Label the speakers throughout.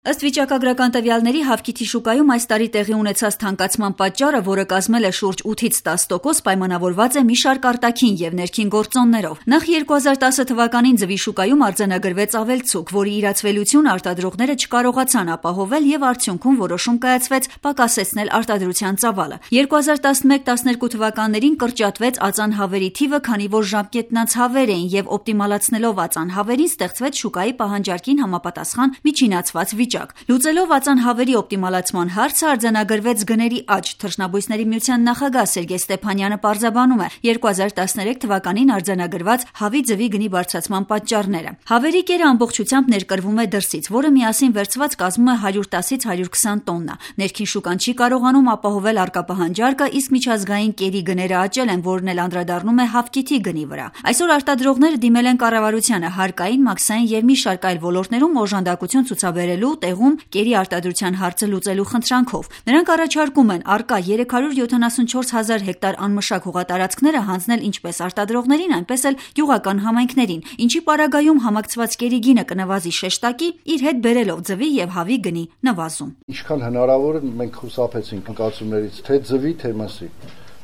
Speaker 1: Ըստ վիճակագրական տվյալների, հավքիթի շուկայում այս տարի տեղի ունեցած թանկացման պատճառը, որը կազմել է շուրջ 8-10%, պայմանավորված է մի շարք արտաքին և ներքին գործոններով։ Նախ 2010 թվականին ձվի շուկայում արձանագրվեց ավելցուկ, որի իրացվելությունը արտադրողները չկարողացան ապահովել և արդյունքում որոշում կայացվեց պակասեցնել արտադրության ծավալը։ 2011-12 թվականներին կրճատվեց ածանհավերի թիվը, քանի որ ժամկետնանց հավեր էին և օպտիմալացնելով ածանհավերին ստեղծվեց շուկայի պահանջարկին համապատասխան միջինացված վիճակ։ Լուծելով ածանհավերի օպտիմալացման հարցը, արձանագրվեց գների աճ։ Թռչնաբույսների միության նախագահ Սերգեյ Ստեփանյանը պարզաբանում է 2013 թվականին արձանագրված հավի ձվի գնի բարձրացման պատճառները։ Հավերի կերը ամբողջությամբ ներկրվում է դրսից, որը միասին վերցված կազմում է 110-ից 120 տոննա։ Ներքին շուկան չի կարողանում ապահովել առկա պահանջարկը, իսկ միջազգային կերի գները աճել են, որն էլ անդրադառնում է հավքիթի գնի վրա։ Այսօր արտադրողները դիմել են կառավարությանը հարկային, մաքսային և մի շարք այլ ոլորտներում օժանդակություն ցուցաբերելու տեղում կերի արտադրության հարցը լուծելու խնդրանքով։ Նրանք առաջարկում են առկա 374 հազար հեկտար անմշակ հողատարածքները հանձնել ինչպես արտադրողներին, այնպես էլ գյուղական համայնքներին, ինչի պարագայում համակցված կերի գինը կնվազի շեշտակի, իր հետ բերելով ձվի և հավի գնի նվազում։
Speaker 2: Ինչքան հնարավոր է մենք խուսափեցինք ընկալություններից թե ձվի, թե մսի,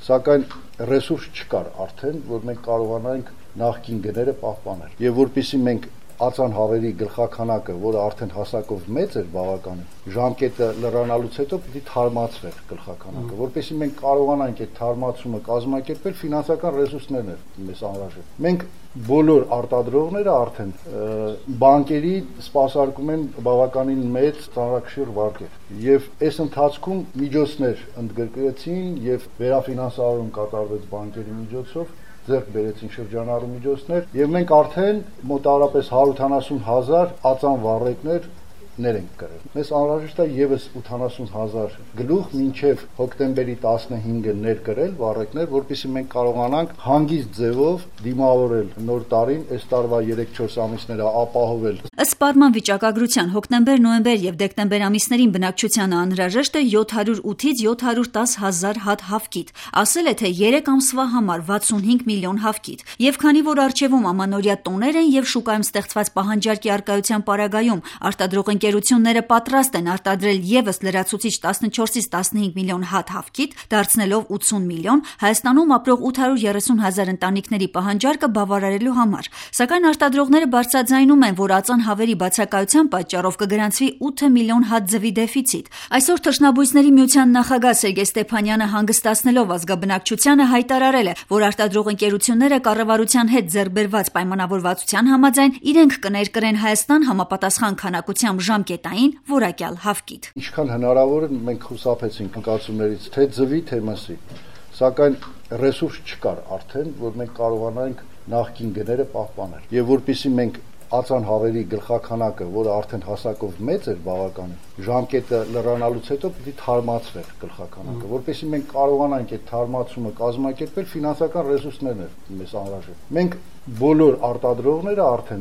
Speaker 2: սակայն ռեսուրս չկար արդեն, որ մենք կարողանանք նախկին գները պահպանել։ Եվ որպեսզի մենք ածանհավերի գլխաքանակը, որը արդեն հասակով մեծ էր բավականին, ժամկետը լրանալուց հետո պիտի թարմացվեր գլխաքանակը, որպեսզի մենք կարողանանք այդ թարմացումը կազմակերպել, ֆինանսական ռեսուրսներն էր մեզ անհրաժեշտ։ Մենք բոլոր արտադրողները արդեն բանկերի սպասարկում են բավականին մեծ ծանրակշիռ վարկեր, եւ այս ընթացքում միջոցներ ընդգրկվեցին եւ վերաֆինանսավորում կատարվեց բանկերի միջոցով, ձեռք բերեցին շրջանառու միջոցներ եւ մենք արդեն մոտավորապես 170 հազար ածան վառեկներ ենք կրել։ Մեզ անհրաժեշտ է եւս 80 հազար գլուխ մինչեւ հոկտեմբերի 15-ը ներկրել վառեկներ, որպեսզի մենք կարողանանք հանգիստ ձևով դիմավորել նոր տարին, այս տարվա 3-4 ամիսները ապահովել։
Speaker 1: Ըստ պարման վիճակագրության, հոկտեմբեր, նոյեմբեր եւ դեկտեմբեր ամիսներին բնակչությանը անհրաժեշտ է 708-ից 710 հազար հատ հավքիթ։ Ասել է, թե 3 ամսվա համար 65 միլիոն հավքիթ։ Եվ քանի որ առջևում ամանորյա տոներ են եւ շուկայում ստեղծված պահանջարկի առկայության պարագայում արտադրող ընկերությունները պատրաստ են արտադրել եւս լրացուցիչ 14-ից 15 միլիոն հատ հավքիթ, դարձնելով 80 միլիոն, Հայաստանում ապրող 830 հազար ընտանիքների պահանջարկը բավարարելու համար։ Սակայն արտադրողները բարձրաձայնում են, որ ածանհավերի բացակայության պատճառով կգրանցվի 8 միլիոն հատ ձվի դեֆիցիտ։ Այսօր Թռչնաբույսների միության նախագահ Սերգեյ Ստեփանյանը հանգստացնելով ազգաբնակչությանը հայտարարել է, որ արտադրող ընկերությունները կառավարության հետ ձեռքբերված պայմանավորվածության համաձայն իրենք կներկրեն Հայաստան համապատասխան քանակությամբ ժամկետային որակյալ հավքիթ։
Speaker 2: Ինչքան հնարավոր է մենք խուսափեցինք ընկալություններից թե ձվի, թե մսի, սակայն ռեսուրս չկար արդեն, որ մենք կարողանանք նախկին գները պահպանել։ Եվ որպեսզի մենք ածանհավերի գլխաքանակը, որը արդեն հասակով մեծ էր բավականին, ժամկետը լրանալուց հետո պիտի թարմացվեր գլխաքանակը, որպեսզի մենք կարողանանք այդ թարմացումը կազմակերպել, ֆինանսական ռեսուրսներն էր մեզ անհրաժեշտ։ Մենք բոլոր արտադրողները արդեն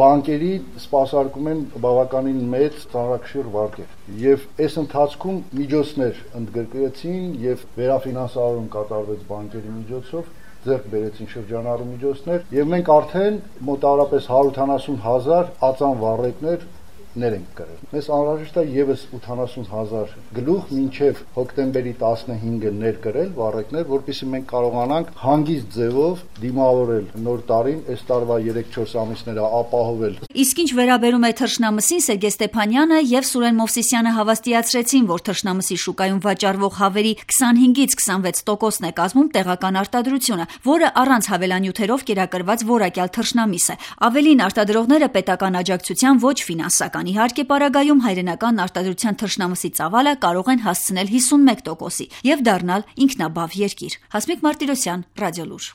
Speaker 2: բանկերի սպասարկում են բավականին մեծ ծանրակշիռ վարկեր, եւ այս ընթացքում միջոցներ ընդգրկվեցին եւ վերաֆինանսավորում կատարվեց բանկերի միջոցով, ձեռք բերեցին շրջանառու միջոցներ եւ մենք արդեն մոտավորապես 170 հազար ածան վառեկներ ենք կրել։ Մեզ անհրաժեշտ է եւս 80 հազար գլուխ մինչեւ հոկտեմբերի 15-ը ներկրել վառեկներ, որպեսզի մենք կարողանանք հանգիստ ձևով դիմավորել նոր տարին, այս տարվա 3-4 ամիսները ապահովել։
Speaker 1: Իսկ ինչ վերաբերում է թռչնամսին, Սերգեյ Ստեփանյանը եւ Սուրեն Մովսիսյանը հավաստիացրեցին, որ թռչնամսի շուկայում վաճառվող հավերի 25-ից 26%-ն է կազմում տեղական արտադրությունը, որը առանց հավելանյութերով կերակրված որակյալ թռչնամիս է։ Ավելին, արտադրողները պետական աջակցության ոչ ֆինանսական իհարկե պարագայում հայրենական արտադրության թռչնամսի ծավալը կարող են հասցնել 51%-ի եւ դառնալ ինքնաբավ երկիր։ Հասմիկ Մարտիրոսյան, Ռադիոլուր։